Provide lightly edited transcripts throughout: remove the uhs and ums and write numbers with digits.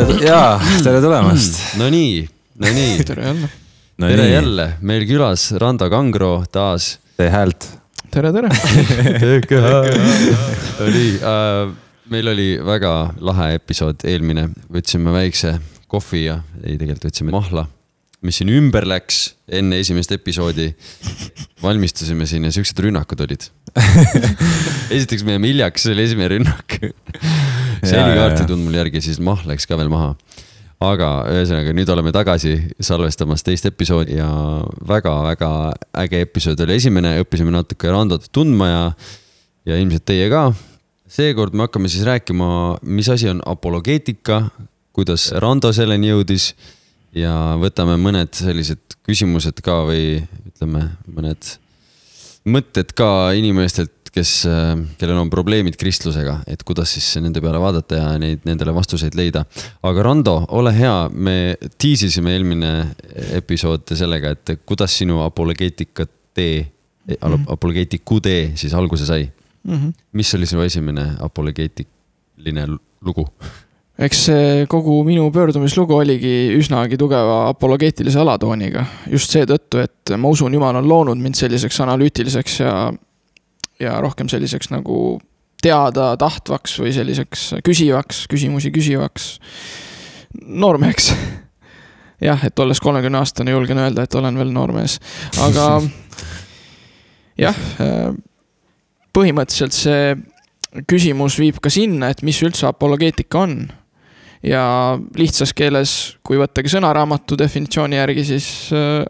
tere tulemast. No nii. Tere jälle. Meil külas Rando Kangro taas. Tee häält. Tere. Meil oli väga lahe episood eelmine. Võtsime väikse kohvi ja tegelikult võtsime mahla, mis siin ümber läks enne esimest episoodi. Valmistusime siin ja siuksed rünnakud olid. Esiteks me jäime hiljaks, see oli esimene rünnak. See oli kaarti tund mul järgi, siis mahl läks ka veel maha. Aga ühesõnaga, nüüd oleme tagasi salvestamas teist episoodi ja väga-väga äge episood oli esimene. Õppisime natuke Randot tundma ja ilmselt teie ka. Seekord me hakkame siis rääkima, mis asi on apologeetika, kuidas Rando selleni jõudis ja võtame mõned sellised küsimused ka või ütleme mõned mõtted ka inimestelt, kellel on probleemid kristlusega, et kuidas siis nende peale vaadata ja nendele vastuseid leida. Aga Rando, ole hea, me tiisisime eelmine episood sellega, et kuidas sinu apologeetiku tee siis alguse sai. Mis oli sinu esimene apologeetiline lugu? Eks kogu minu pöördumislugu oligi üsnagi tugeva apologeetilise alatooniga. Just see tõttu, et ma usun, Jumal on loonud mind selliseks analüütiliseks ja rohkem selliseks nagu teada tahtvaks või selliseks küsimusi küsivaks noormeheks. Jah, et olles 30-aastane julgen öelda, et olen veel noormees. Aga jah, põhimõtteliselt see küsimus viib ka sinna, et mis üldse apologeetika on. Ja lihtsas keeles, kui võttagi sõnaraamatu definitsiooni järgi, siis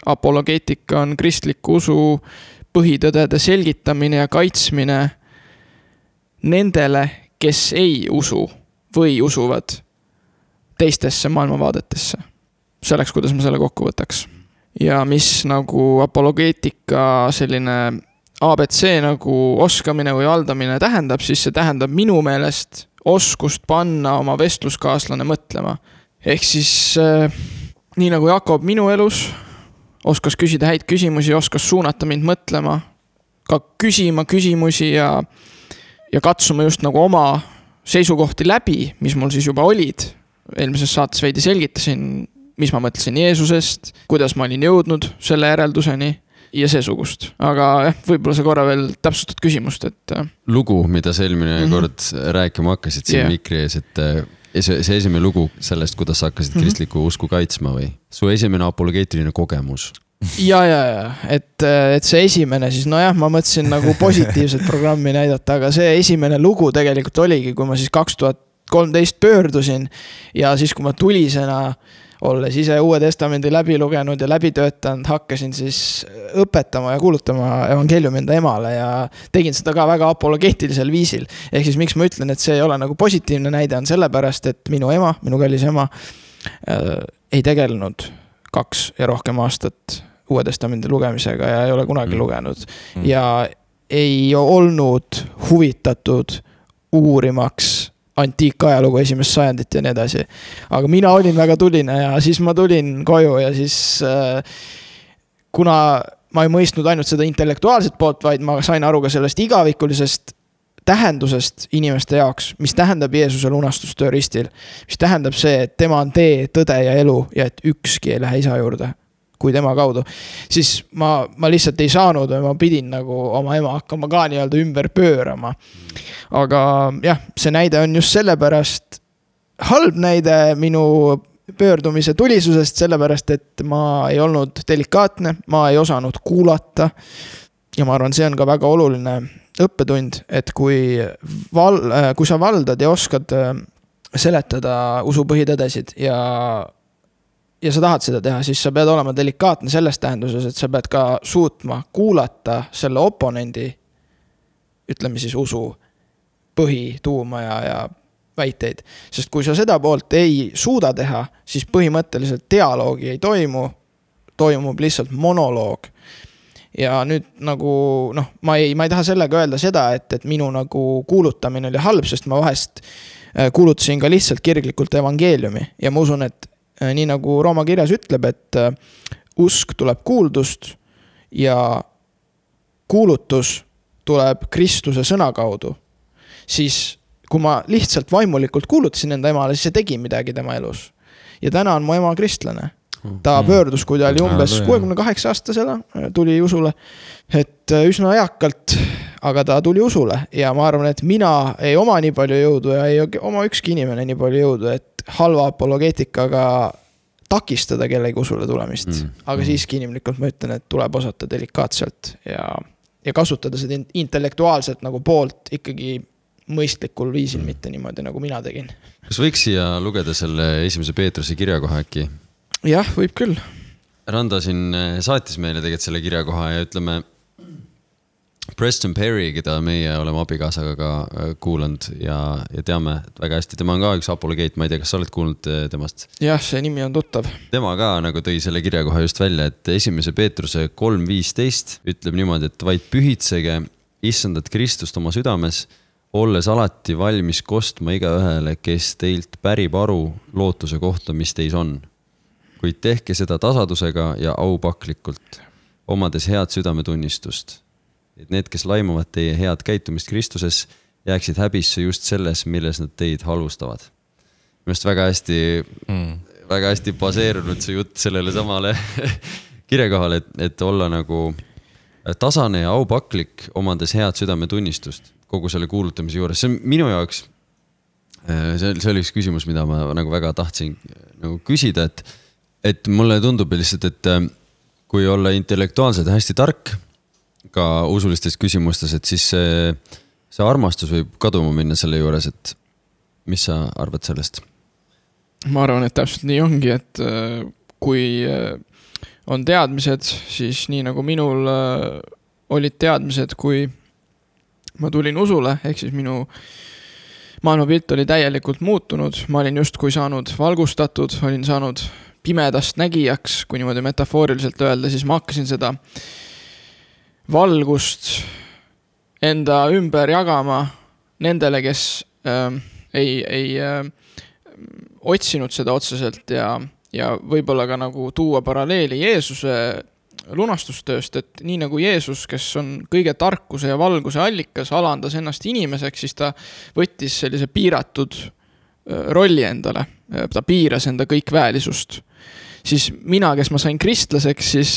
apologeetika on kristliku usu põhitõdede selgitamine ja kaitsmine nendele, kes ei usu või usuvad teistesse maailmavaadetesse. Selleks, kuidas ma selle kokku võtaks. Ja mis nagu apologeetika selline ABC nagu oskamine või valdamine tähendab, siis see tähendab minu meelest oskust panna oma vestluskaaslane mõtlema. Ehk siis nii nagu Jakob minu elus oskas küsida häid küsimusi, oskas suunata mind mõtlema, ka küsima küsimusi ja katsuma just nagu oma seisukohti läbi, mis mul siis juba olid. Eelmises saates veidi selgitasin, mis ma mõtlesin Jeesusest, kuidas ma olin jõudnud selle järelduseni ja seesugust. Aga võib-olla sa korra veel täpsustad küsimust, et lugu, mida sa eelmine kord rääkima hakkasid siin mikri ees, et see esimene lugu sellest, kuidas sa hakkasid kristliku usku kaitsma või? Su esimene apologeetiline kogemus. Ja, et see esimene siis, ma mõtlesin nagu positiivset programmi näidata, aga see esimene lugu tegelikult oligi, kui ma siis 2013 pöördusin ja siis, kui ma tulisena olles ise Uue Testamendi läbi lugenud ja läbi töötanud, hakkasin siis õpetama ja kuulutama evangeeliumi enda emale ja tegin seda ka väga apologeetilisel viisil. Ehk siis miks ma ütlen, et see ei ole nagu positiivne näide on sellepärast, et minu kallis ema ei tegelenud 2 ja rohkem aastat Uue Testamendi lugemisega ja ei ole kunagi lugenud ja ei olnud huvitatud uurimaks antiikajalugu 1. sajandit ja nii edasi. Aga mina olin väga tuline ja siis ma tulin koju ja siis kuna ma ei mõistnud ainult seda intellektuaalset poolt, vaid ma sain aru ka sellest igavikulisest tähendusest inimeste jaoks, mis tähendab Jeesuse lunastustöö ristil, mis tähendab see, et tema on tee, tõde ja elu ja et ükski ei lähe isa juurde kui tema kaudu, siis ma lihtsalt ei saanud või ma pidin nagu oma ema hakkama ka nii-öelda ümber pöörama. Aga jah, see näide on just sellepärast halb näide minu pöördumise tulisusest, sellepärast, et ma ei olnud delikaatne, ma ei osanud kuulata ja ma arvan, see on ka väga oluline õppetund, et kui sa valdad ja oskad seletada usu põhitõdesid ja sa tahad seda teha, siis sa pead olema delikaatne selles tähenduses, et sa pead ka suutma kuulata selle oponendi, ütleme siis usu põhituuma ja väiteid. Sest kui sa seda poolt ei suuda teha, siis põhimõtteliselt dialoogi ei toimub lihtsalt monoloog. Ja nüüd nagu, ma ei taha sellega öelda seda, et minu nagu kuulutamine oli halb, sest ma vahest kuulutasin ka lihtsalt kirglikult evangeeliumi ja ma usun, et nii nagu Rooma kirjas ütleb, et usk tuleb kuuldust ja kuulutus tuleb Kristuse sõna kaudu, siis kui ma lihtsalt vaimulikult kuulutasin enda emale, siis see tegi midagi tema elus. Ja täna on mu ema kristlane. Ta pöördus, kui ta oli umbes 68-aastasena, tuli usule, et üsna eakalt, aga ta tuli usule. Ja ma arvan, et mina ei oma nii palju jõudu ja ei oma ükski inimene nii palju jõudu, et halva apologeetikaga takistada kellegi usule tulemist. Aga siiski inimlikult ma ütlen, et tuleb osata delikaatselt ja kasutada seda intellektuaalselt nagu poolt ikkagi mõistlikul viisil, mitte niimoodi, nagu mina tegin. Kas võiks siia lugeda selle esimese Peetruse kirjakoha äkki? Jah, võib küll. Randa siin saatis meile tegelikult selle kirjakoha ja ütleme Preston Perry, keda meie oleme abikaasaga ka kuulanud ja teame väga hästi. Tema on ka üks apologeet, ma ei tea, kas sa oled kuulnud temast? Jah, see nimi on tuttav. Tema ka nagu tõi selle kirjakoha just välja, et esimese Peetruse 3.15 ütleb niimoodi, et vaid pühitsege issandat Kristust oma südames, olles alati valmis kostma igaühele, kes teilt pärib aru lootuse kohta, mis teis on. Kuid tehke seda tasadusega ja aupaklikult, omades head südametunnistust. Et need, kes laimavad teie head käitumist Kristuses, jääksid häbisse just selles, milles nad teid halvustavad. Minust väga hästi baseerunud see jutt sellele samale kirjakohale, et olla nagu tasane ja aupaklik, omades head südametunnistust kogu selle kuulutamise juures. See on minu jaoks, see oli üks küsimus, mida ma nagu väga tahtsin nagu küsida, et mulle tundub lihtsalt, et kui olla intellektuaalselt hästi tark ka usulistes küsimustes, et siis see armastus võib kaduma minna selle juures, et mis sa arvad sellest? Ma arvan, et täpselt nii ongi, et kui on teadmised, siis nii nagu minul olid teadmised, kui ma tulin usule, ehk siis minu maailmapilt oli täielikult muutunud, ma olin just kui saanud valgustatud, olin saanud pimedast nägijaks, kui niimoodi metafooriliselt öelda, siis ma hakkasin seda valgust enda ümber jagama nendele, kes ei otsinud seda otseselt ja võib-olla ka nagu tuua paralleeli Jeesuse lunastustööst, et nii nagu Jeesus, kes on kõige tarkuse ja valguse allikas, alandas ennast inimeseks, siis ta võttis sellise piiratud rolli endale, ta piiras enda kõikväälisust. Siis mina, kes ma sain kristlaseks, siis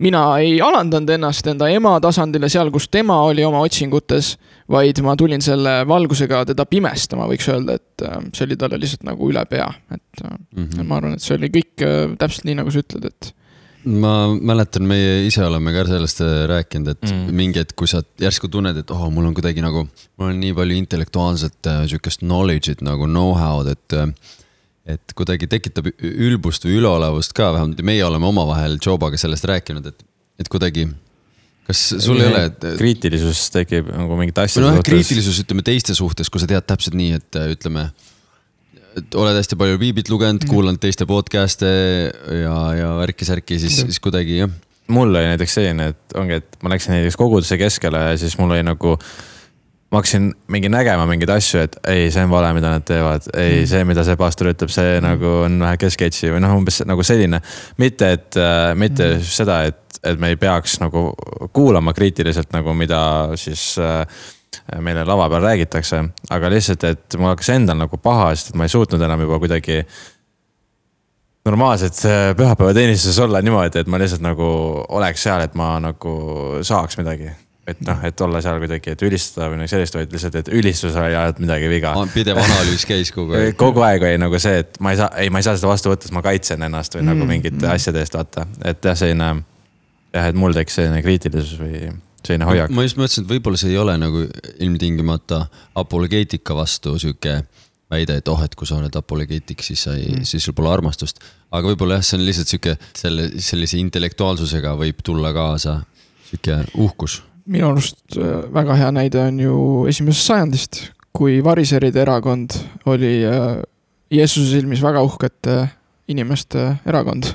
mina ei alandanud ennast enda ema tasandile seal, kus tema oli oma otsingutes, vaid ma tulin selle valgusega teda pimestama, võiks öelda, et see oli talle lihtsalt nagu üle pea. Et ma arvan, et see oli kõik täpselt nii, nagu sa ütled, et ma mäletan, meie ise oleme ka sellest rääkinud, et mingi, et kui sa järsku tunned, et mul on kuidagi nagu, mul on nii palju intellektuaalset sükest knowledge'it nagu know-how'd, et kuidagi tekitab ülbust või üleolevust ka, vähemalt meie oleme omavahel Jobaga sellest rääkinud, et kuidagi, kas sul ei ole kriitilisus tekib nagu mingit asja suhtes? Kriitilisus ütleme teiste suhtes, kui sa tead täpselt nii, et ütleme, et oled hästi palju piiblit lugenud, kuulanud teiste podcast'e ja värki-särki, siis kuidagi, jah. Mul oli näiteks selline, et ongi, et ma läksin näiteks koguduse keskele ja siis mul oli nagu, ma hakkasin mingi nägema mingeid asju, et ei, see on vale, mida nad teevad. Ei, see, mida see pastor ütleb, see nagu on vähe kesketsi või umbes nagu selline. Mitte seda, et me ei peaks nagu kuulama kriitiliselt nagu mida siis meile lava peal räägitakse, aga lihtsalt, et mul hakkas endal nagu paha, sest et ma ei suutnud enam juba kuidagi normaalselt pühapäeva teenistuses olla niimoodi, et ma lihtsalt nagu oleks seal, et ma nagu saaks midagi. Et olla seal kuidagi, et ülistada või sellist, vaid lihtsalt, et ülistus oli ajad midagi viga. Pidev analüüs käis kogu aeg. Kogu aeg oli nagu see, et ma ei saa seda vastu võtta, sest ma kaitsen ennast või nagu mingite asjade eest vaata. Et jah, selline, et mul teeks selline kriitilisus või selline hoiak. Ma just mõtlesin, et võib-olla see ei ole nagu ilmtingimata apologeetika vastu süke väide, et et kui sa oled apologeetik, siis sul pole armastust. Aga võib-olla jah, see on lihtsalt süke sellise intellektuaalsusega võib tulla kaasa süke uhkus. Minu arust väga hea näide on ju 1. sajandist, kui variseride erakond oli Jeesuse silmis väga uhkete inimeste erakond.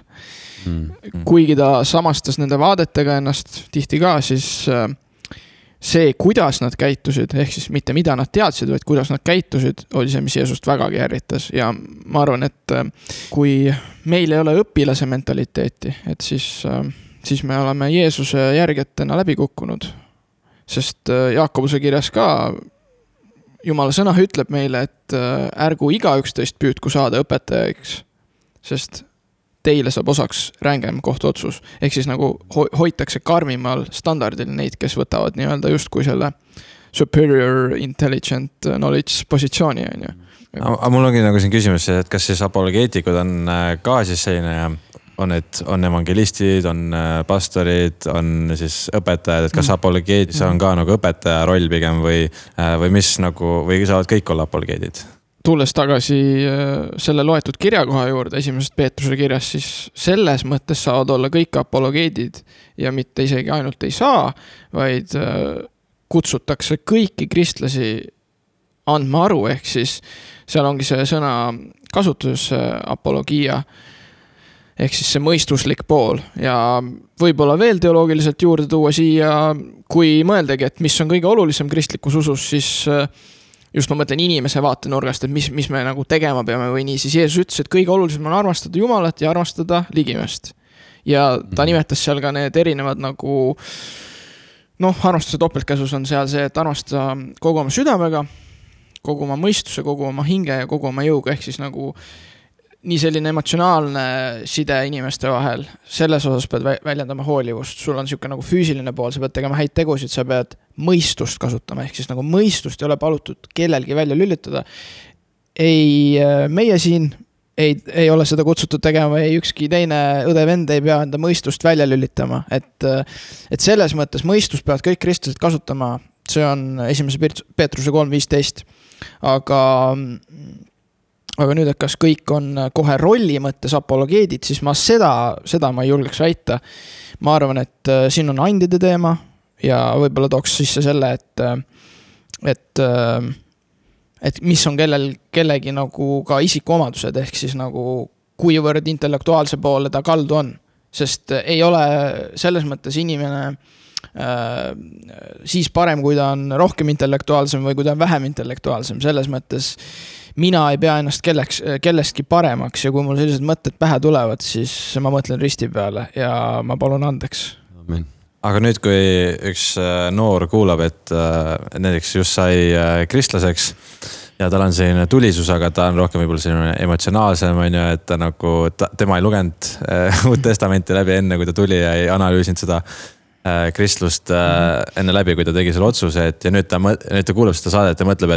Kuigi ta samastas nende vaadetega ennast tihti ka, siis see, kuidas nad käitusid, ehk siis mitte mida nad teadsid, vaid kuidas nad käitusid, oli see, mis Jeesust vägagi ärritas. Ja ma arvan, et kui meil ei ole õpilase mentaliteeti, et siis me oleme Jeesuse järgetena läbi kukkunud. Sest Jaakobuse kirjas ka Jumala sõna ütleb meile, et ärgu igaüks teist püüdku saada õpetajaks, sest teile saab osaks rängem kohtuotsus. Ehk siis nagu hoitakse karmimal standardil neid, kes võtavad nii-öelda justkui selle superior intelligent knowledge positsiooni, on ju. Aga mul ongi nagu siin küsimus, et kas siis apologeetikud on ka siis selline, on evangelistid, on pastorid, on siis õpetajad, et kas apologeedis on ka nagu õpetaja roll pigem või mis nagu, või saavad kõik olla apologeedid? Tulles tagasi selle loetud kirjakoha juurde, esimesest Peetruse kirjas, siis selles mõttes saavad olla kõik apologeedid ja mitte isegi ainult ei saa, vaid kutsutakse kõiki kristlasi andma aru, ehk siis seal ongi see sõna kasutus apologia, ehk siis see mõistuslik pool ja võib-olla veel teoloogiliselt juurde tuua siia, kui mõeldagi, et mis on kõige olulisem kristlikus usus, siis just ma mõtlen inimese vaatenurgast, et mis me nagu tegema peame või nii, siis Jeesus ütles, et kõige olulisem on armastada Jumalat ja armastada ligimest. Ja ta nimetas seal ka need erinevad nagu armastuse topeltkäsus on seal see, et armastada kogu oma südamega, kogu oma mõistuse, kogu oma hinge ja kogu oma jõuga, ehk siis nagu nii selline emotsionaalne side inimeste vahel, selles osas pead väljendama hoolivust, sul on siuke nagu füüsiline pool, sa pead tegema häid tegusid, sa pead mõistust kasutama, ehk siis nagu mõistust ei ole palutud kellelgi välja lülitada. Ei, meie siin ei ole seda kutsutud tegema, ei ükski teine õde-vend ei pea enda mõistust välja lülitama, et selles mõttes mõistust peavad kõik kristlased kasutama, see on 1. Peetruse 3.15, aga nüüd, et kas kõik on kohe rolli mõttes apologeedid, siis ma seda ma ei julgeks väita. Ma arvan, et siin on andide teema ja võib-olla tooks sisse selle, et mis on kellegi nagu ka isikuomadused, ehk siis nagu kuivõrd intellektuaalse poole ta kaldu on. Sest ei ole selles mõttes inimene siis parem, kui ta on rohkem intellektuaalsem või kui ta on vähem intellektuaalsem. Selles mõttes mina ei pea ennast kellestki paremaks ja kui mul sellised mõtted pähe tulevad, siis ma mõtlen risti peale ja ma palun andeks. Amen. Aga nüüd, kui üks noor kuulab, et näiteks just sai kristlaseks ja tal on selline tulisus, aga ta on rohkem võib-olla selline emotsionaalsem, on ju, et ta nagu, tema ei lugenud Uut Testamenti läbi enne, kui ta tuli ja ei analüüsinud seda kristlust enne läbi, kui ta tegi selle otsuse, et ja nüüd ta kuulab seda saadet ja mõtleb,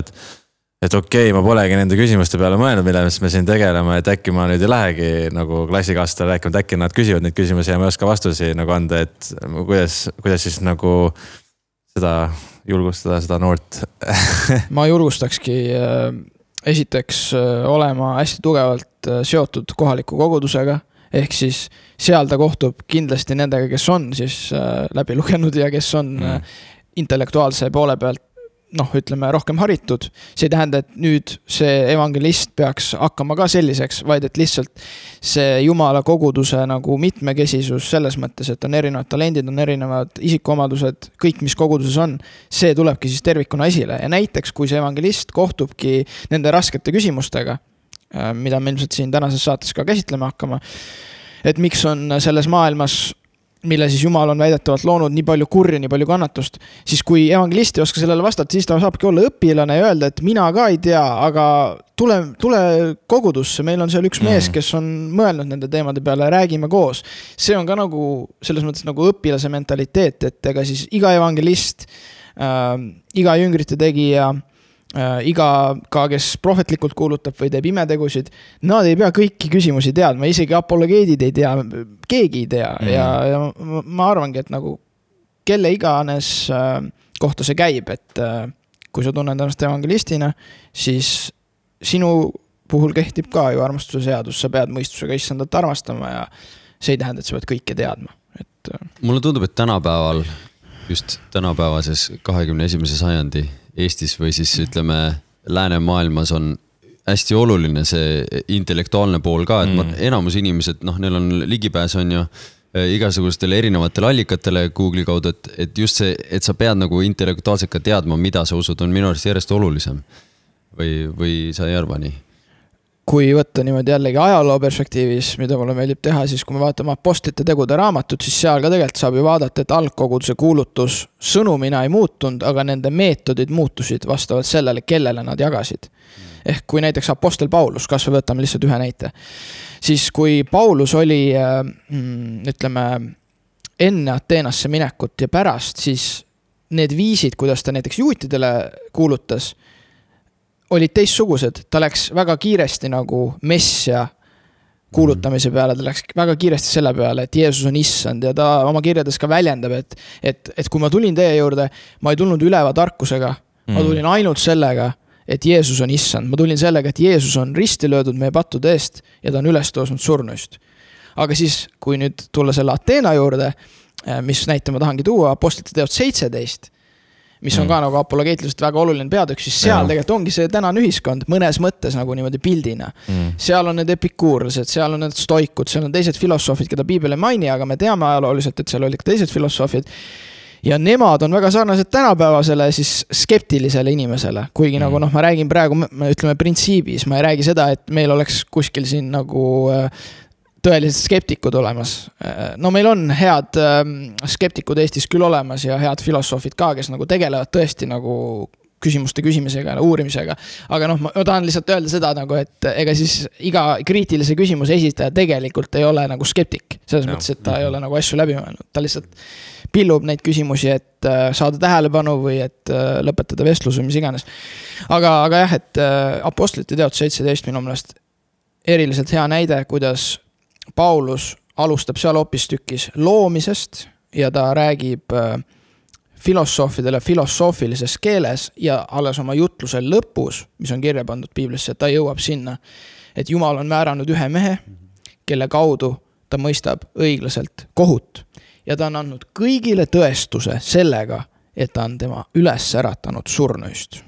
et okei, ma polegi nende küsimuste peale mõelnud, mille me siin tegeleme, et äkki ma nüüd ei lähegi nagu klassikaaslastele rääkima, et äkki nad küsivad neid küsimusi ja ma ei oska vastusi nagu anda, et kuidas siis nagu seda julgustada, seda noort. Ma julgustakski esiteks olema hästi tugevalt seotud kohaliku kogudusega, ehk siis seal ta kohtub kindlasti nendega, kes on siis läbi lugenud ja kes on intellektuaalse poole pealt ütleme rohkem haritud. See ei tähenda, et nüüd see evangelist peaks hakkama ka selliseks, vaid et lihtsalt see Jumala koguduse nagu mitmekesisus selles mõttes, et on erinevad talendid, on erinevad isikuomadused, kõik, mis koguduses on, see tulebki siis tervikuna esile. Ja näiteks, kui see evangelist kohtubki nende raskete küsimustega, mida me ilmselt siin tänases saates ka käsitlema hakkama, et miks on selles maailmas mille siis Jumal on väidetavalt loonud nii palju kurja, nii palju kannatust, siis kui evangelist ei oska sellele vastata, siis ta saabki olla õpilane ja öelda, et mina ka ei tea, aga tule kogudusse, meil on seal üks mees, kes on mõelnud nende teemade peale, räägime koos. See on ka nagu selles mõttes nagu õpilase mentaliteet, et ega siis iga evangelist, iga jüngrite tegija, iga ka, kes prohvetlikult kuulutab või teeb imetegusid, nad ei pea kõiki küsimusi teadma, isegi apologeedid ei tea, keegi ei tea ja ma arvangi, et nagu kelle iganes kohta see käib, et kui sa tunned ennast evangelistina, siis sinu puhul kehtib ka ju armastuse seadus, sa pead mõistusega issandat armastama ja see ei tähenda, et sa pead kõike teadma. Mulle tundub, et tänapäeval, just tänapäevases 21. sajandi Eestis või siis ütleme läänemaailmas on hästi oluline see intellektuaalne pool ka, et enamus inimesed, neil on ligipääs on ju igasugustele erinevatele allikatele Google'i kaudu, et just see, et sa pead nagu intellektuaalselt ka teadma, mida sa usud, on minu arust järjest olulisem või sa ei arva nii? kui võtta niimoodi jällegi ajaloo perspektiivis, mida mulle meeldib teha, siis kui me vaatame Apostlite tegude raamatut, siis seal ka tegelikult saab ju vaadata, et algkoguduse kuulutus sõnumina ei muutunud, aga nende meetodid muutusid vastavalt sellele, kellele nad jagasid. Ehk kui näiteks Apostel Paulus, kas me võtame lihtsalt ühe näite, siis kui Paulus oli, ütleme, enne Ateenasse minekut ja pärast, siis need viisid, kuidas ta näiteks juutidele kuulutas, olid teistsugused, ta läks väga kiiresti nagu messia kuulutamise peale, ta läks väga kiiresti selle peale, et Jeesus on issand ja ta oma kirjades ka väljendab, et kui ma tulin teie juurde, ma ei tulnud üleva tarkusega, ma tulin ainult sellega, et Jeesus on issand, ma tulin sellega, et Jeesus on risti löödud meie pattude eest ja ta on üles tõusnud surnuist. Aga siis, kui nüüd tulla selle Ateena juurde, mis näite ma tahangi tuua, Apostlite teod 17, mis on ka nagu apologeetiliselt väga oluline peatükk, siis seal tegelikult ongi see tänane ühiskond mõnes mõttes nagu niimoodi pildina. Seal on need epikuurlased, seal on need stoikud, seal on teised filosoofid, keda piibel ei maini, aga me teame ajalooliselt, et seal olid ka teised filosoofid. Ja nemad on väga sarnased tänapäevasele siis skeptilisele inimesele, kuigi nagu ma räägin praegu, ütleme printsiibis, ma ei räägi seda, et meil oleks kuskil siin nagu tõelised skeptikud olemas. No meil on head skeptikud Eestis küll olemas ja head filosoofid ka, kes nagu tegelevad tõesti nagu küsimuste küsimisega ja uurimisega. Aga ma tahan lihtsalt öelda seda, nagu, et ega siis iga kriitilise küsimuse esitaja tegelikult ei ole nagu skeptik. Selles mõttes, et ta ei ole nagu asju läbi mõelnud. Ta lihtsalt pillub neid küsimusi, et saada tähelepanu või et lõpetada vestlus või mis iganes. Aga jah, et Apostlite teod 17 minu meelest eriliselt hea näide, kuidas Paulus alustab seal hoopistükkis loomisest ja ta räägib filosoofidele filosoofilises keeles ja alles oma jutluse lõpus, mis on kirja pandud piiblisse, et ta jõuab sinna, et Jumal on määranud ühe mehe, kelle kaudu ta mõistab õiglaselt kohut ja ta on andnud kõigile tõestuse sellega, et ta on tema üles äratanud surnuist.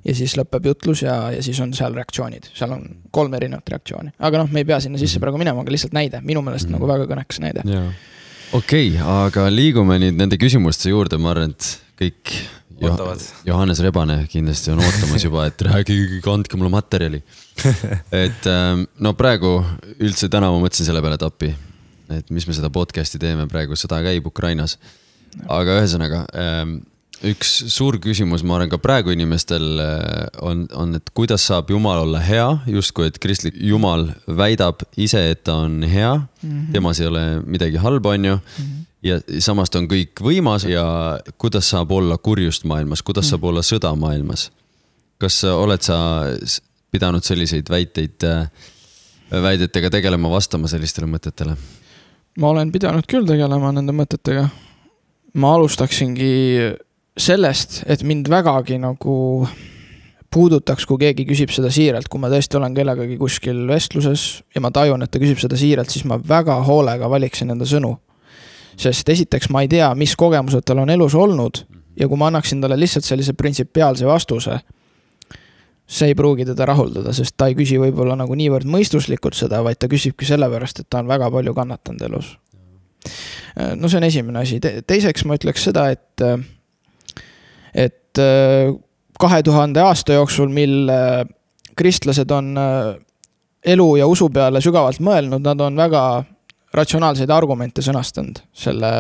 Ja siis lõpeb jutlus ja siis on seal reaktsioonid. Seal on 3 erinevat reaktsiooni. Aga me ei pea sinna sisse praegu minema, aga lihtsalt näide. Minu meelest nagu väga kõnekas näide. Okei, aga liigume nüüd nende küsimuste juurde. Ma arvan, et kõik Johannes Rebane kindlasti on ootamas juba, et räägi, kandke mulle materjali. Et praegu üldse täna ma mõtlesin selle peale tappi, et mis me seda podcasti teeme praegu, sõda käib Ukrainas. Aga ühesõnaga, üks suur küsimus, ma arvan ka praegu inimestel on, et kuidas saab Jumal olla hea, justkui et kristlik Jumal väidab ise, et ta on hea, temas ei ole midagi halba, on ju, ja samas ta on kõik võimas ja kuidas saab olla kurjust maailmas, kuidas saab olla sõda maailmas. Kas oled sa pidanud selliseid väidetega tegelema, vastama sellistele mõtetele? Ma olen pidanud küll tegelema nende mõtetega. Ma alustaksingi sellest, et mind vägagi nagu puudutaks, kui keegi küsib seda siiralt, kui ma tõesti olen kellegagi kuskil vestluses ja ma tajun, et ta küsib seda siiralt, siis ma väga hoolega valiksin enda sõnu. Sest esiteks ma ei tea, mis kogemused tal on elus olnud ja kui ma annaksin talle lihtsalt sellise printsipiaalse vastuse, see ei pruugi teda rahuldada, sest ta ei küsi võib-olla nagu niivõrd mõistuslikult seda, vaid ta küsibki sellepärast, et ta on väga palju kannatanud elus. No see on esimene asi. Teiseks ma ütleks seda, et 2000 aasta jooksul, mil kristlased on elu ja usu peale sügavalt mõelnud, nad on väga ratsionaalseid argumente sõnastanud selle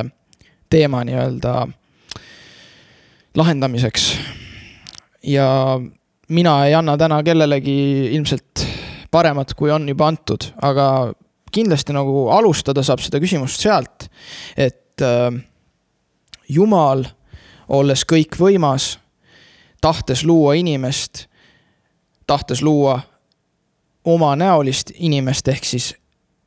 teema nii-öelda lahendamiseks. Ja mina ei anna täna kellelegi ilmselt paremat, kui on juba antud, aga kindlasti nagu alustada saab seda küsimust sealt, et Jumal, olles kõik võimas, tahtes luua inimest, tahtes luua oma näolist inimest ehk siis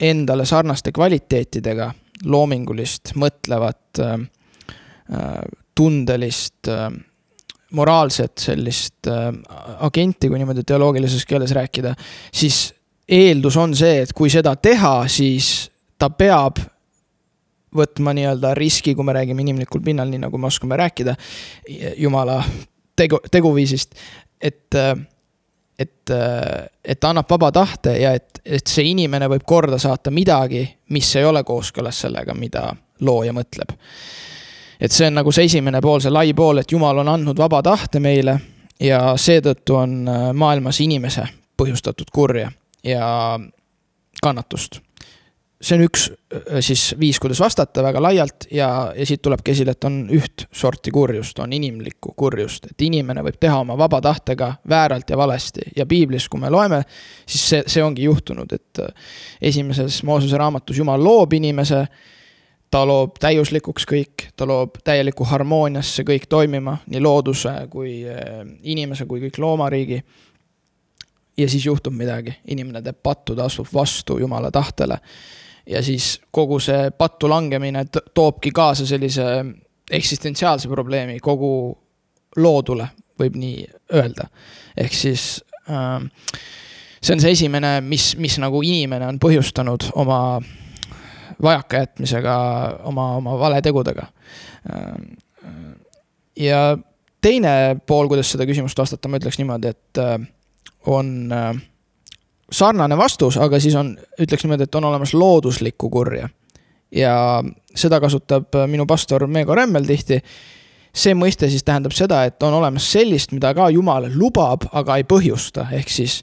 endale sarnaste kvaliteetidega, loomingulist, mõtlevat, tundelist, moraalset sellist agenti, kui niimoodi teoloogilises keeles rääkida, siis eeldus on see, et kui seda teha, siis ta peab võtma nii-öelda riski, kui me räägime inimlikul pinnal, nii nagu me oskame rääkida Jumala teguviisist, et ta annab vaba tahte ja et see inimene võib korda saata midagi, mis ei ole kooskõlas sellega, mida looja mõtleb. Et see on nagu see esimene pool, see lai pool, et Jumal on andnud vaba tahte meile ja seetõttu on maailmas inimese põhjustatud kurja. ja kannatust. See on üks siis viis, kuidas vastata väga laialt ja siit tulebki esile, et on üht sorti kurjust, on inimlikku kurjust, et inimene võib teha oma vaba tahtega vääralt ja valesti ja piiblis, kui me loeme, siis see ongi juhtunud, et esimeses Moosese raamatus Jumal loob inimese, ta loob täiuslikuks kõik, ta loob täieliku harmooniasse kõik toimima, nii looduse kui inimese kui kõik loomariigi. Ja siis juhtub midagi, inimene teeb pattu, ta astub vastu Jumala tahtele. Ja siis kogu see pattu langemine toobki kaasa sellise eksistentsiaalse probleemi kogu loodule, võib nii öelda. Ehk siis see on see esimene, mis nagu inimene on põhjustanud oma vajakajätmisega, oma valetegudega. Ja teine pool, kuidas seda küsimust vastata, ma ütleks niimoodi, et on sarnane vastus, aga siis on, ütleks niimoodi, et on olemas looduslikku kurja. Ja seda kasutab minu pastor Meego Remmel tihti. See mõiste siis tähendab seda, et on olemas sellist, mida ka Jumal lubab, aga ei põhjusta. Ehk siis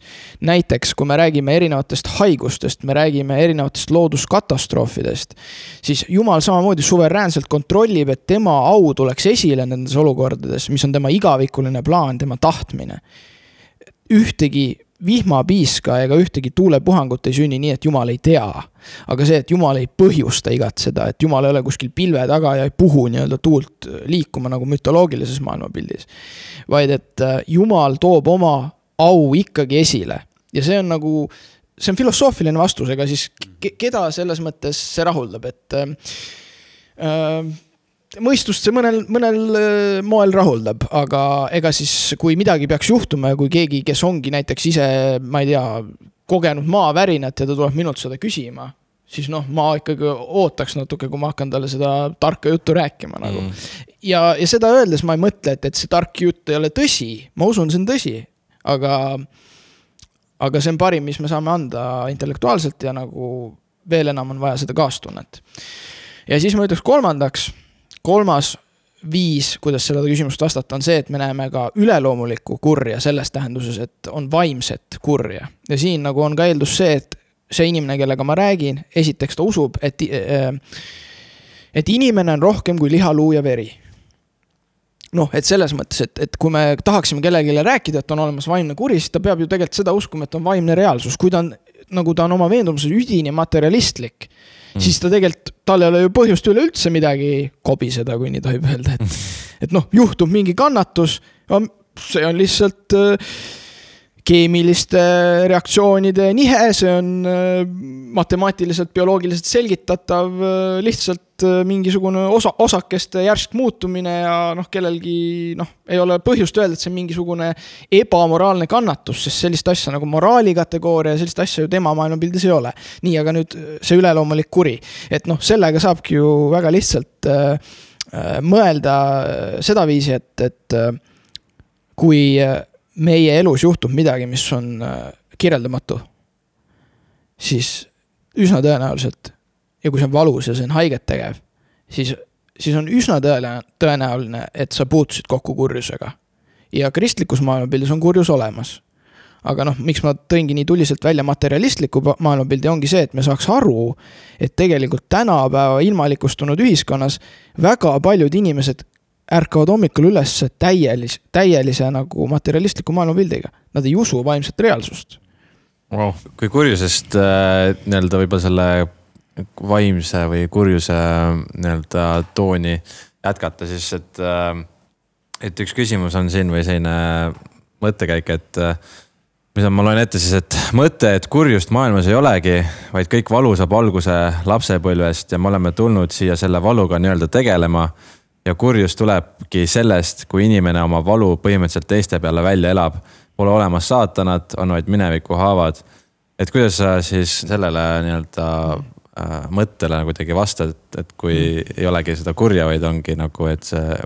näiteks, kui me räägime erinevatest haigustest, me räägime erinevatest looduskatastroofidest, siis Jumal samamoodi suveräänselt kontrollib, et tema au tuleks esile nendes olukordades, mis on tema igavikuline plaan, tema tahtmine. Ühtegi vihmapiiska ega ühtegi tuulepuhangut ei sünni nii, et Jumal ei tea. Aga see, et Jumal ei põhjusta igat seda, et Jumal ei ole kuskil pilve taga ja ei puhu nii-öelda tuult liikuma nagu mütoloogilises maailmapildis. Vaid, et Jumal toob oma au ikkagi esile. Ja see on nagu, see on filosoofiline vastus, ega siis keda selles mõttes see rahuldab, et mõistust see mõnel moel rahuldab, aga ega siis kui midagi peaks juhtuma ja kui keegi, kes ongi näiteks ise, ma ei tea, kogenud maavärinat ja ta tuleb minult seda küsima, siis ma ikkagi ootaks natuke, kui ma hakkan talle seda tarka juttu rääkima nagu. Ja seda öeldes ma ei mõtle, et see tark jutt ei ole tõsi, ma usun, see on tõsi, aga see on parim, mis me saame anda intellektuaalselt ja nagu veel enam on vaja seda kaastunnet. Ja siis ma ütleks kolmas viis, kuidas sellele küsimust vastata, on see, et me näeme ka üleloomulikku kurja selles tähenduses, et on vaimset kurja. Ja siin nagu on ka eeldus see, et see inimene, kellega ma räägin, esiteks ta usub, et inimene on rohkem kui liha, luu ja veri. Et selles mõttes, et kui me tahaksime kellelegi rääkida, et on olemas vaimne kuri, siis ta peab ju tegelikult seda uskuma, et on vaimne reaalsus. Kui ta on, nagu ta on oma veendumuses üdini materialistlik, siis ta tegelikult, tal ei ole ju põhjust üle üldse midagi kobiseda, kui nii tohib öelda, et juhtub mingi kannatus, see on lihtsalt keemiliste reaktsioonide nihe, see on matemaatiliselt, bioloogiliselt selgitatav, lihtsalt mingisugune osakeste järsk muutumine ja kellelgi ei ole põhjust öelda, et see on mingisugune ebamoraalne kannatus, sest sellist asja nagu moraali kategooria, sellist asja ju tema maailmapildis ei ole. Nii, aga nüüd see üleloomulik kuri, et sellega saabki ju väga lihtsalt mõelda seda viisi, et kui meie elus juhtub midagi, mis on kirjeldamatu, siis üsna tõenäoliselt, ja kui see on valus ja see on haiget tegev, siis on üsna tõenäoline, et sa puutusid kokku kurjusega. Ja kristlikus maailmapildis on kurjus olemas. Aga miks ma tõingi nii tuliselt välja materialistliku maailmapildi, ongi see, et me saaks aru, et tegelikult tänapäeva ilmalikustunud ühiskonnas väga paljud inimesed ärkavad hommikul üles täielise nagu materialistliku maailmapildiga. Nad ei usu vaimset reaalsust. Wow. Kui kurjusest nii-öelda võib-olla selle vaimse või kurjuse nii-öelda tooni jätkata, siis et üks küsimus on siin või selline mõttekäik, et mis ma loen ette siis, et mõte, et kurjust maailmas ei olegi, vaid kõik valu saab alguse lapsepõlvest ja me oleme tulnud siia selle valuga nii-öelda tegelema ja kurjus tulebki sellest, kui inimene oma valu põhimõtteliselt teiste peale välja elab. Pole olemas saatanad, on vaid mineviku haavad. Et kuidas sa siis sellele nii-öelda mõttele kuidagi vastad, et kui ei olegi seda kurja, vaid ongi nagu, et see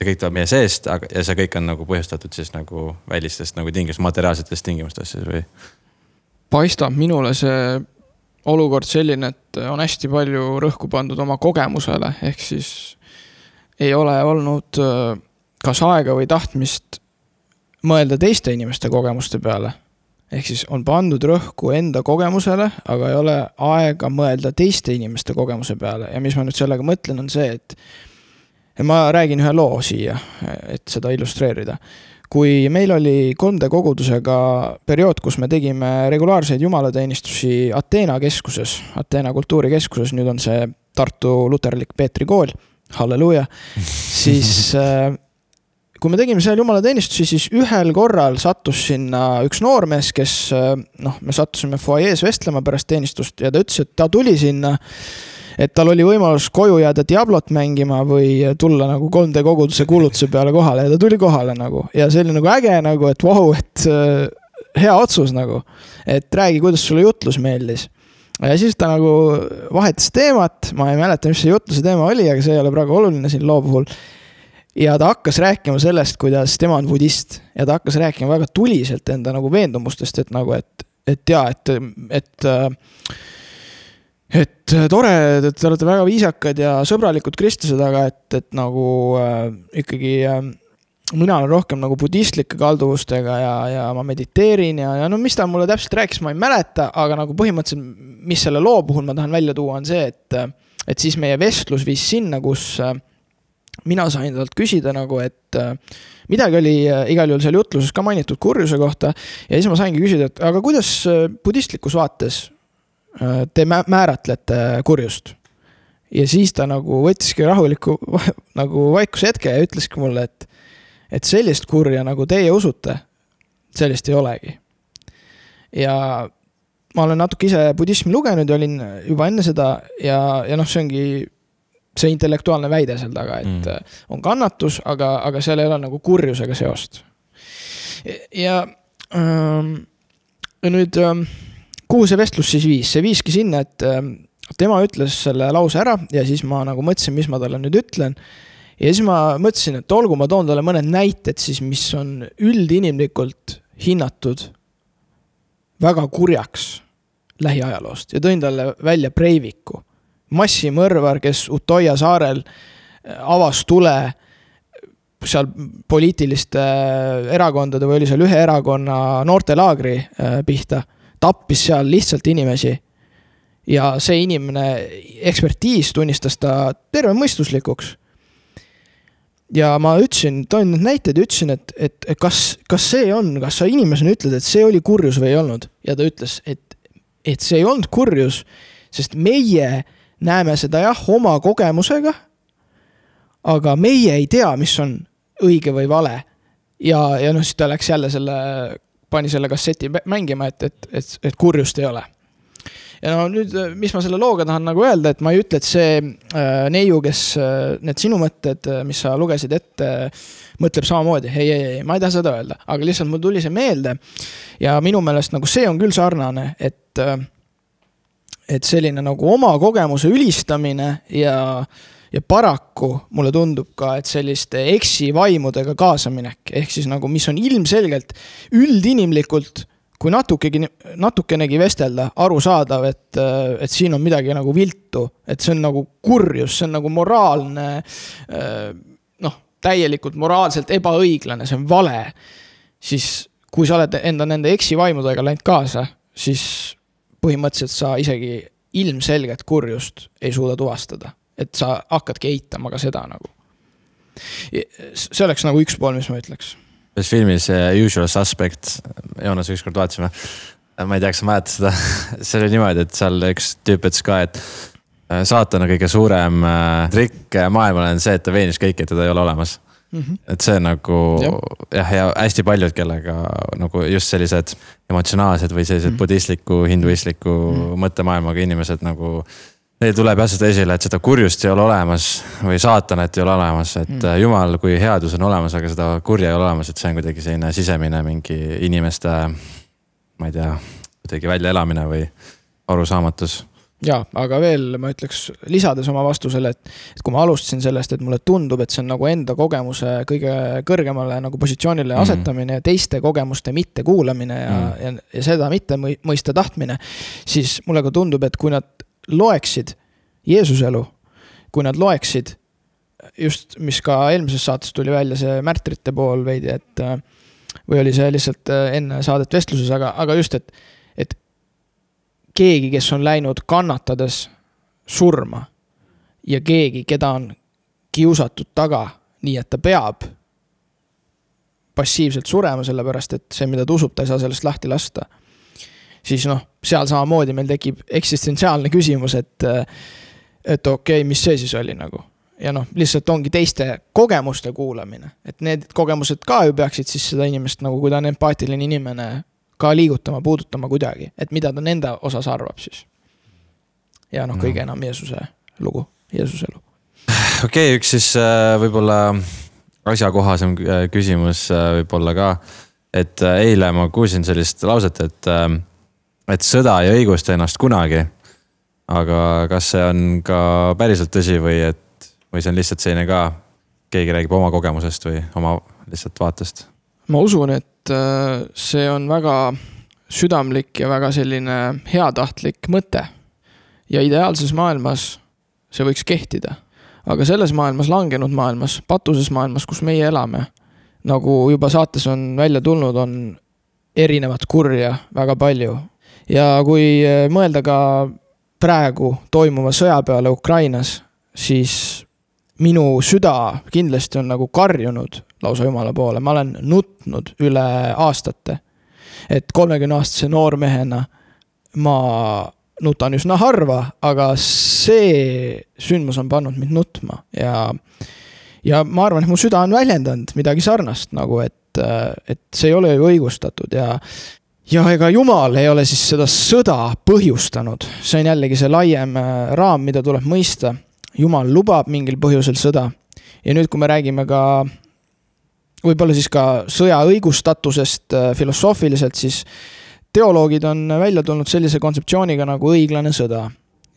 kõik tuleb meie seest ja see kõik on nagu põhjustatud siis nagu välistest nagu materiaalsetest tingimustest või? Paistab minule see olukord selline, et on hästi palju rõhku pandud oma kogemusele, ehk siis ei ole olnud kas aega või tahtmist mõelda teiste inimeste kogemuste peale. ehk siis on pandud rõhku enda kogemusele, aga ei ole aega mõelda teiste inimeste kogemuse peale. Ja mis ma nüüd sellega mõtlen, on see, et ma räägin ühe loo siia, et seda illustreerida. Kui meil oli 3D kogudusega periood, kus me tegime regulaarseid jumalateenistusi Ateena keskuses, Ateena kultuurikeskuses, nüüd on see Tartu luterlik Peetri kool, halleluuja, siis kui me tegime seal jumalateenistusi, siis ühel korral sattus sinna üks noormees, kes, me sattusime foajees vestlema pärast teenistust ja ta ütles, et ta tuli sinna, et tal oli võimalus koju jääda Diablot mängima või tulla nagu 3D koguduse kuulutuse peale kohale ja ta tuli kohale nagu. Ja see oli nagu äge nagu, et vau, et hea otsus nagu, et räägi, kuidas sulle jutlus meeldis. Ja siis ta nagu vahetas teemat, ma ei mäleta, mis see jutluse teema oli, aga see ei ole praegu oluline siin loo puhul. Ja ta hakkas rääkima sellest, kuidas tema on budist ja ta hakkas rääkima väga tuliselt enda nagu veendumustest, et nagu, et ja, et tore, et te olete väga viisakad ja sõbralikud kristlased, aga et nagu ikkagi mina olen rohkem nagu budistlike kalduvustega ja ma mediteerin ja no mis ta mulle täpselt rääkis, ma ei mäleta, aga nagu põhimõtteliselt, mis selle loo puhul ma tahan välja tuua, on see, et siis meie vestlus viis sinna, kus mina sain talt küsida nagu, et midagi oli igal juhul seal jutluses ka mainitud kurjuse kohta ja siis ma saingi küsida, et aga kuidas budistlikus vaates te määratlete kurjust? Ja siis ta nagu võttiski rahuliku nagu vaikuse hetke ja ütleski mulle, et sellist kurja nagu teie usute, sellist ei olegi. Ja ma olen natuke ise budismi lugenud ja olin juba enne seda ja see ongi see intellektuaalne väide seal taga, et on kannatus, aga seal ei ole nagu kurjusega seost. Ja nüüd, kuhu see vestlus siis viis? See viiski sinna, et tema ütles selle lause ära ja siis ma nagu mõtlesin, mis ma talle nüüd ütlen. Ja siis ma mõtlesin, et olgu ma toon talle mõned näited siis, mis on üldinimlikult hinnatud väga kurjaks lähiajaloost ja tõin talle välja Breiviku. Massimõrvar, kes Utoia saarel avas tule seal poliitiliste erakondade või oli seal ühe erakonna noortelaagri pihta, tappis seal lihtsalt inimesi ja see inimene ekspertiis tunnistas ta terve mõistuslikuks. Ja ma ütlesin, toin need näited ja ütlesin, et kas see on, kas sa inimesena ütled, et see oli kurjus või ei olnud? Ja ta ütles, et see ei olnud kurjus, sest meie näeme seda jah oma kogemusega, aga meie ei tea, mis on õige või vale. Ja siis ta läks jälle pani selle kasseti mängima, et kurjust ei ole. Ja no nüüd, mis ma selle looga tahan nagu öelda, et ma ei ütle, et see neiu, kes need sinu mõtted, mis sa lugesid ette, mõtleb samamoodi. Ei, ma ei taha seda öelda, aga lihtsalt mul tuli see meelde ja minu meelest nagu see on küll sarnane, et selline nagu oma kogemuse ülistamine ja paraku mulle tundub ka, et selliste eksivaimudega kaasaminek, ehk siis nagu mis on ilmselgelt üldinimlikult, kui natukenegi vestelda, aru saadav, et siin on midagi nagu viltu, et see on nagu kurjus, see on nagu moraalne, täielikult moraalselt ebaõiglane, see on vale, siis kui sa oled nende eksivaimudega läinud kaasa, siis põhimõtteliselt sa isegi ilmselget kurjust ei suuda tuvastada. Et sa hakkadki eitama ka seda nagu. See oleks nagu üks pool, mis ma ütleks. Selles filmis Usual Suspect, Joonas ükskord vaatasime, ma ei tea, kas sa mäletad seda, see oli niimoodi, et seal üks tüüp ütles ka, et saatana kõige suurem trikk maailmale on see, et ta veenis kõiki, et teda ei ole olemas. Et see nagu ja hästi paljud, kellega nagu just sellised emotsionaalsed või sellised budistliku, hinduistliku mõttemaailmaga inimesed nagu neil tuleb järsult esile, et seda kurjust ei ole olemas või saatanat ei ole olemas, et Jumal kui headus on olemas, aga seda kurja ei ole olemas, et see on kuidagi selline sisemine mingi inimeste, ma ei tea, kuidagi välja elamine või arusaamatus. Ja, aga veel ma ütleks lisades oma vastusele, et kui ma alustasin sellest, et mulle tundub, et see on nagu enda kogemuse kõige kõrgemale nagu positsioonile asetamine ja teiste kogemuste mitte kuulamine ja seda mitte mõista tahtmine, siis mulle ka tundub, et kui nad loeksid Jeesuse elu, kui nad loeksid just, mis ka eelmises saates tuli välja, see märtrite pool veidi, või oli see lihtsalt enne saadet vestluses, aga just, et keegi, kes on läinud kannatades surma ja keegi, keda on kiusatud taga, nii et ta peab passiivselt surema, sellepärast, et see, mida ta usub, ta ei saa sellest lahti lasta. Siis seal samamoodi meil tekib eksistentsiaalne küsimus, et okei, mis see siis oli nagu. Ja lihtsalt ongi teiste kogemuste kuulamine. Et need kogemused ka ju peaksid siis seda inimest, nagu kui ta on empaatiline inimene, ka liigutama, puudutama kuidagi. Et mida ta nende osas arvab siis. Ja kõige enam Jeesuse lugu, Jeesuse elu. Okei, üks siis võib-olla asjakohasem küsimus võib-olla ka. Et eile ma kuulsin sellist lauset, et sõda ei õigusta ennast kunagi. Aga kas see on ka päriselt tõsi või see on lihtsalt selline ka, keegi räägib oma kogemusest või oma lihtsalt vaatest? Ma usun, et see on väga südamlik ja väga selline heatahtlik mõte. Ja ideaalses maailmas see võiks kehtida. Aga selles maailmas, langenud maailmas, patuses maailmas, kus meie elame, nagu juba saates on välja tulnud, on erinevat kurja väga palju. Ja kui mõelda ka praegu toimuva sõja peale Ukrainas, siis minu süda kindlasti on nagu karjunud lausa Jumala poole. Ma olen nutnud üle aastate. Et 30-aastase noormehena ma nutan üsna harva, aga see sündmus on pannud mind nutma. Ja ma arvan, et mu süda on väljendanud midagi sarnast, nagu et see ei ole ju õigustatud. Ja ega Jumal ei ole siis seda sõda põhjustanud. See on jällegi see laiem raam, mida tuleb mõista. Jumal lubab mingil põhjusel sõda. Ja nüüd, kui me räägime ka võib-olla siis ka sõja õigustatusest filosoofiliselt, siis teoloogid on välja tulnud sellise kontseptsiooniga nagu õiglane sõda.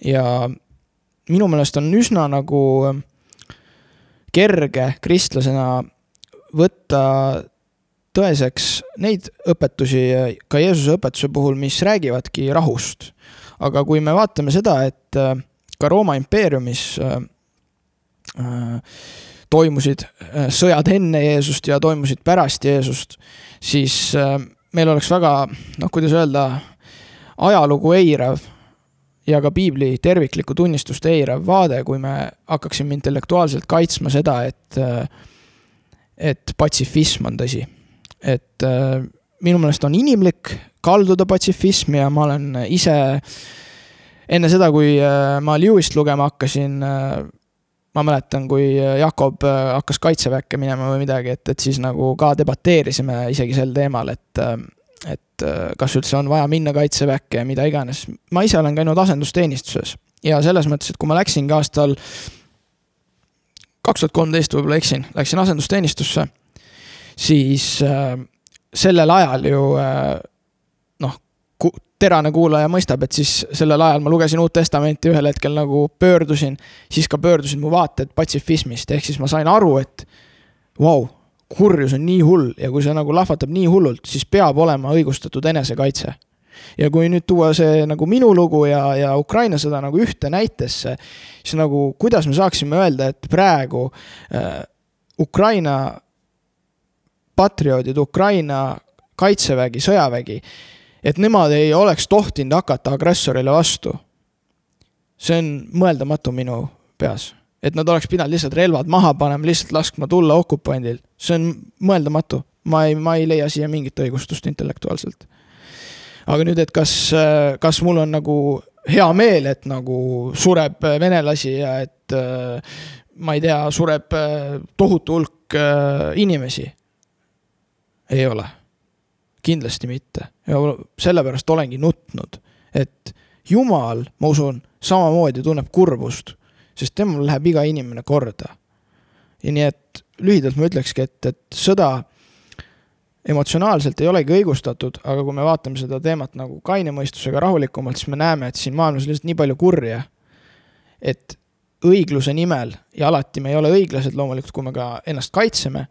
Ja minu meelest on üsna nagu kerge kristlasena võtta tõeseks neid õpetusi ka Jeesuse õpetuse puhul, mis räägivadki rahust. Aga kui me vaatame seda, et ka Rooma impeeriumis toimusid sõjad enne Jeesust ja toimusid pärast Jeesust, siis meil oleks väga, kuidas öelda, ajalugu eirav ja ka piibli terviklikku tunnistust eirav vaade, kui me hakkaksime intellektuaalselt kaitsma seda, et patsifism on tõsi. Et minu meelest on inimlik kalduda patsifismi ja ma olen ise enne seda, kui ma Lewist lugema hakkasin, ma mäletan, kui Jakob hakkas kaitseväkke minema või midagi, et siis nagu ka debateerisime isegi sel teemal, et kas üldse on vaja minna kaitseväkke ja mida iganes. Ma ise olen käinud asendusteenistuses ja selles mõttes, et kui ma läksingi aastal 2013 võib-olla läksin asendusteenistusse, siis sellel ajal ju terane kuulaja mõistab, et siis sellel ajal ma lugesin Uut Testamenti ühel hetkel nagu pöördusin, siis ka pöördusin mu vaated patsifismist, ehk siis ma sain aru, et kurjus on nii hull ja kui see nagu lahvatab nii hullult, siis peab olema õigustatud enesekaitse. Ja kui nüüd tuua see nagu minu lugu ja Ukraina sõda nagu ühte näitesse, siis nagu kuidas me saaksime öelda, et praegu Ukraina patrioodid, Ukraina kaitsevägi, sõjavägi, et nemad ei oleks tohtinud hakata agressorile vastu. See on mõeldamatu minu peas. Et nad oleks pidanud lihtsalt relvad maha panema, lihtsalt laskma tulla okupandil. See on mõeldamatu. Ma ei leia siia mingit õigustust intellektuaalselt. Aga nüüd, et kas mul on nagu hea meel, et nagu sureb venelasi ja et ma ei tea, sureb tohutu hulk inimesi? Ei ole. Kindlasti mitte. Ja sellepärast olengi nutnud, et Jumal, ma usun, samamoodi tunneb kurbust, sest temal läheb iga inimene korda. Ja nii, et lühidalt ma ütlekski, et sõda emotsionaalselt ei olegi õigustatud, aga kui me vaatame seda teemat nagu kainemõistusega rahulikumalt, siis me näeme, et siin maailmas lihtsalt nii palju kurja, et õigluse nimel, ja alati me ei ole õiglased loomulikult, kui me ka ennast kaitseme,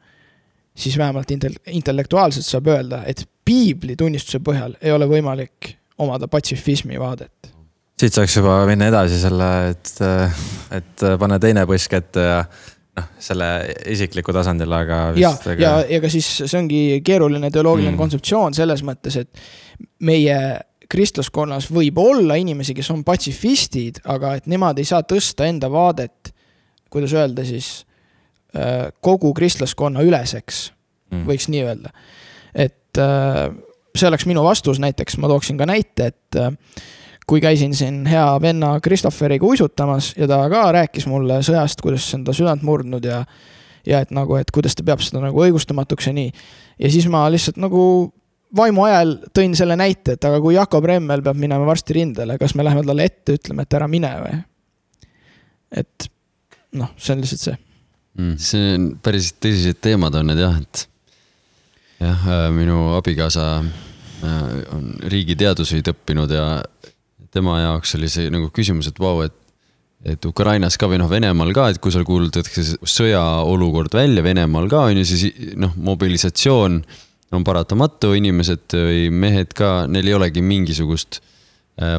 siis vähemalt intellektuaalselt saab öelda, et piibli tunnistuse põhjal ei ole võimalik omada patsifismi vaadet. Siit saaks juba minna edasi selle, et pane teine põsk ette selle isikliku tasandil, aga vist ja ka siis see ongi keeruline teoloogiline kontseptsioon selles mõttes, et meie kristlaskonnas võib olla inimesi, kes on patsifistid, aga et nemad ei saa tõsta enda vaadet, kuidas öelda siis, kogu kristlaskonna üleseks, võiks nii öelda. Et see oleks minu vastus, näiteks ma tooksin ka näite, et kui käisin siin hea venna Kristofferiga uisutamas ja ta ka rääkis mulle sõjast, kuidas see on ta südant murdnud ja et nagu, et kuidas ta peab seda nagu õigustamatuks ja nii. Ja siis ma lihtsalt nagu vaimu ajal tõin selle näite, et aga kui Jakob Remmel peab minema varsti rindele, kas me läheme talle ette, ütleme, et ära mine või? Et see on lihtsalt see. See on päris tõsised teemad on need jah, et minu abikaasa on riigiteaduseid õppinud ja tema jaoks oli see nagu küsimus, et vau, et Ukrainas ka või Venemaal ka, et kui seal kuulutatakse sõjaolukord välja Venemaal ka, on ju siis mobilisatsioon on paratamatu, inimesed või mehed ka, neil ei olegi mingisugust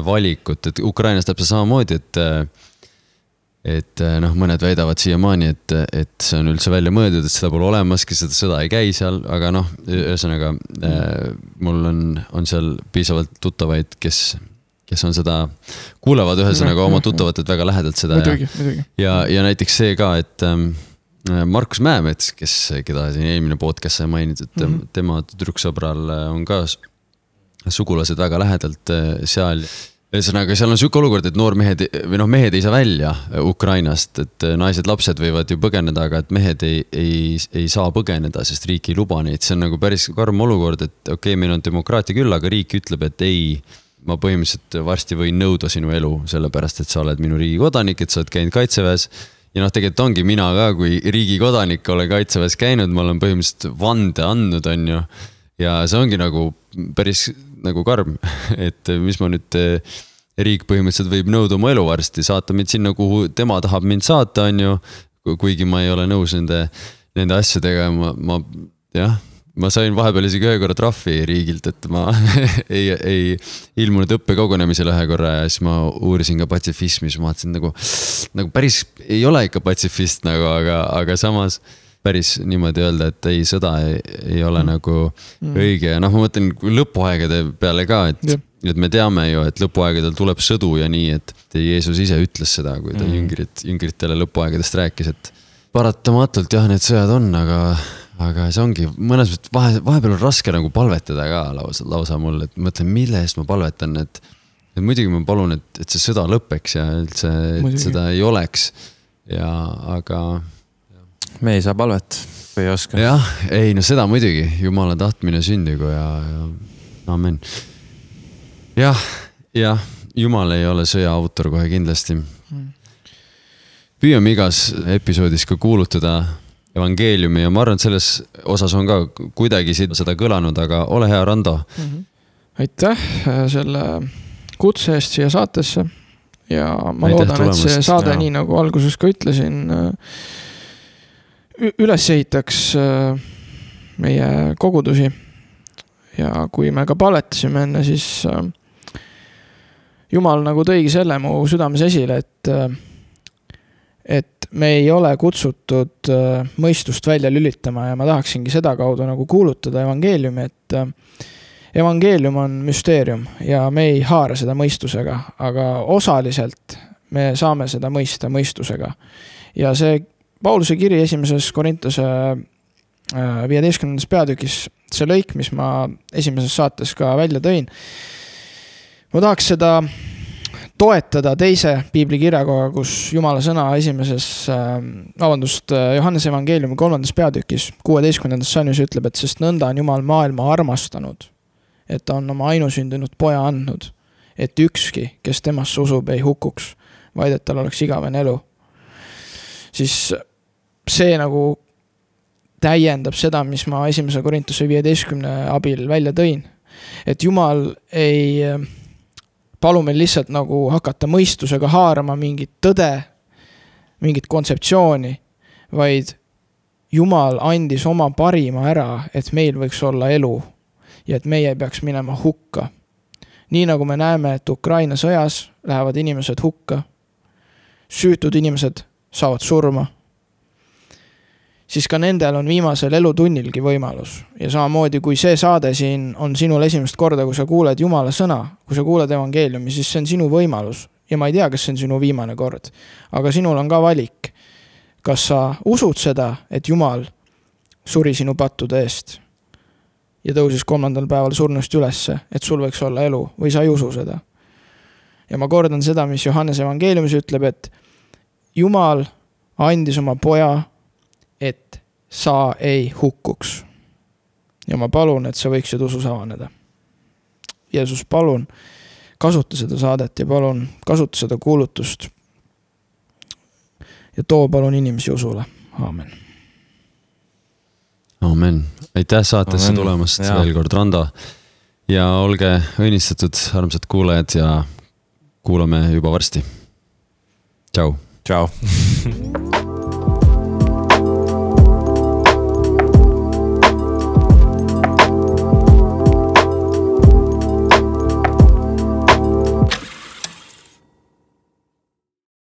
valikut, et Ukrainas täpselt samamoodi, et mõned väidavad siiamaani, et see on üldse välja mõeldud, et seda pole olemaski, seda sõda ei käi seal, aga ühesõnaga mul on seal piisavalt tuttavaid, kes on seda, kuulevad ühesõnaga oma tuttavatelt väga lähedalt seda. Ja näiteks see ka, et Markus Mäemets, keda siin eelmine podcast sai mainitud, et tema tüdruksõbral on ka sugulased väga lähedalt seal. Ühesõnaga, seal on selline olukord, et noormehed või mehed ei saa välja Ukrainast, et naised, lapsed võivad ju põgeneda, aga et mehed ei saa põgeneda, sest riik ei luba neid. See on nagu päris karm olukord, et okei, meil on demokraatia küll, aga riik ütleb, et ei, ma põhimõtteliselt varsti võin nõuda sinu elu, sellepärast, et sa oled minu riigi kodanik, et sa oled käinud kaitseväes. Ja tegelikult ongi mina ka, kui riigi kodanik olen kaitseväes käinud, ma olen põhimõtteliselt vande andnud, on ju. Ja see ongi nagu päris nagu karm, et mis ma nüüd, riik põhimõtteliselt võib nõuda oma elu varsti, saata mind sinna, kuhu tema tahab mind saata, on ju, kuigi ma ei ole nõus nende asjadega, ma sain vahepeal isegi ühe korra trahvi riigilt, et ma ei ilmunud õppekogunemisele ühe korra ja siis ma uurisin ka patsifismi, siis ma vaatasin nagu päris ei ole ikka patsifist nagu, aga samas päris niimoodi öelda, et ei, sõda ei ole nagu õige. Ja ma mõtlen lõpuaegade peale ka, et me teame ju, et lõpuaegadel tuleb sõdu ja nii, et Jeesus ise ütles seda, kui ta jüngritele lõpuaegadest rääkis, et paratamatult jah, need sõjad on, aga see ongi, mõnes vahepeal on raske nagu palvetada ka lausa mul, et mõtlen, mille eest ma palvetan, et muidugi ma palun, et see sõda lõpeks ja üldse seda ei oleks. Aga me ei saa palvet või ei oska. Jah, ei, seda muidugi, Jumala tahtmine sündigu ja amen. Jah, Jumal ei ole sõja autor kohe kindlasti. Püüame igas episoodis ka kuulutada evangeeliumi ja ma arvan, et selles osas on ka kuidagi seda kõlanud, aga ole hea, Rando. Aitäh selle kutse eest siia saatesse ja ma loodan, et see saade, nii nagu alguses ka ütlesin, üles ehitaks meie kogudusi ja kui me ka palvetasime enne, siis Jumal nagu tõigi selle mu südames esile, et me ei ole kutsutud mõistust välja lülitama ja ma tahaksingi seda kaudu nagu kuulutada evangeeliumi, et evangeelium on müsteerium ja me ei haara seda mõistusega, aga osaliselt me saame seda mõista mõistusega. Ja see Pauluse kiri 1. Korintuse 15. peatükis, see lõik, mis ma esimeses saates ka välja tõin, ma tahaks seda toetada teise piibli kirjakoga, kus Jumala sõna Johannese evangeeliumi 3. peatükis 16. salmis ütleb, et sest nõnda on Jumal maailma armastanud, et ta on oma ainusündinud poja andnud, et ükski, kes temasse usub, ei hukuks, vaid et tal oleks igavene elu. Siis see nagu täiendab seda, mis ma 1. Korintuse 15. abil välja tõin, et Jumal ei palu meil lihtsalt nagu hakata mõistusega haarama mingit tõde, mingit kontseptsiooni, vaid Jumal andis oma parima ära, et meil võiks olla elu ja et meie peaks minema hukka. Nii nagu me näeme, et Ukraina sõjas lähevad inimesed hukka, süütud inimesed saavad surma. siis ka nendel on viimasel elutunnilgi võimalus. Ja samamoodi, kui see saade siin on sinul esimest korda, kui sa kuuled Jumala sõna, kui sa kuuled evangeeliumi, siis see on sinu võimalus. Ja ma ei tea, kas see on sinu viimane kord. Aga sinul on ka valik. Kas sa usud seda, et Jumal suri sinu pattude eest ja tõusis 3. päeval surnust ülesse, et sul võiks olla elu, või sa ei usu seda. Ja ma kordan seda, mis Johannes evangeeliumis ütleb, et Jumal andis oma poja, et sa ei hukkuks. Ja ma palun, et sa võiksid usus avaneda. Jeesus, palun kasuta seda saadet ja palun kasuta seda kuulutust. Ja too palun inimesi usule. Aamen. Aamen. Aitäh saatesse tulemast veel kord, Rando. Ja olge õnnistatud, armsad kuulajad, ja kuulame juba varsti. Tšau. Tšau.